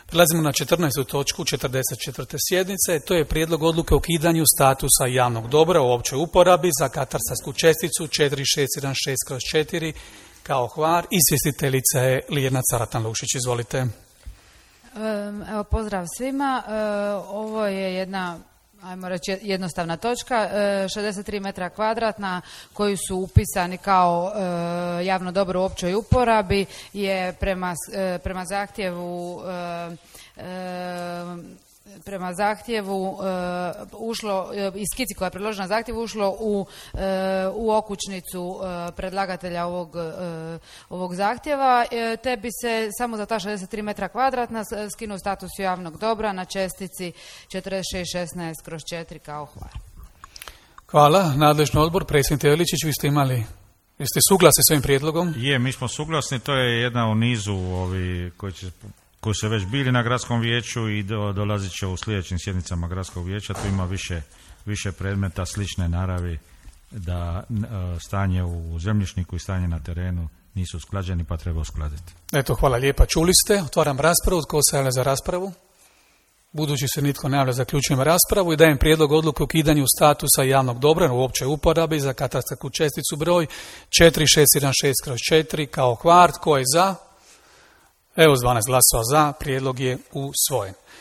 Prelazimo na 14. točku 44. sjednice. To je prijedlog odluke o ukidanju statusa javnog dobra u općoj uporabi za katastarsku česticu 4616/4 kao Hvar. Izvjestiteljica je Ljiljana Caratan-Lušić. Izvolite. Evo, pozdrav svima. Ovo je jedna, ajmo reći, jednostavna točka, 63 metra kvadratna koji su upisani kao javno dobro u općoj uporabi je prema zahtjevu ušlo, iz skici koja je predložena zahtjevu ušlo u okućnicu predlagatelja ovog zahtjeva, te bi se samo za ta 63 metra kvadratna skinuo status javnog dobra na čestici 4616/4 kao Hvar. Hvala. Nadležni odbor, predsjednik Teličić, jeste suglasni s ovim prijedlogom? Je, mi smo suglasni, to je jedna u nizu koji su već bili na gradskom vijeću i dolazit će u sljedećim sjednicama gradskog vijeća. Tu ima više predmeta slične naravi, da stanje u zemljišniku i stanje na terenu nisu usklađeni, pa treba uskladiti. Eto, hvala lijepa. Čuli ste, otvaram raspravu. Tko se javlja za raspravu? Budući se nitko ne javlja, zaključujem raspravu i dajem prijedlog odluke o ukidanju statusa javnog dobra u općoj uporabi za katastarsku česticu broj 4616/4 kao Hvar. Tko je za? Evo, s 12 glasova za, prijedlog je usvojen.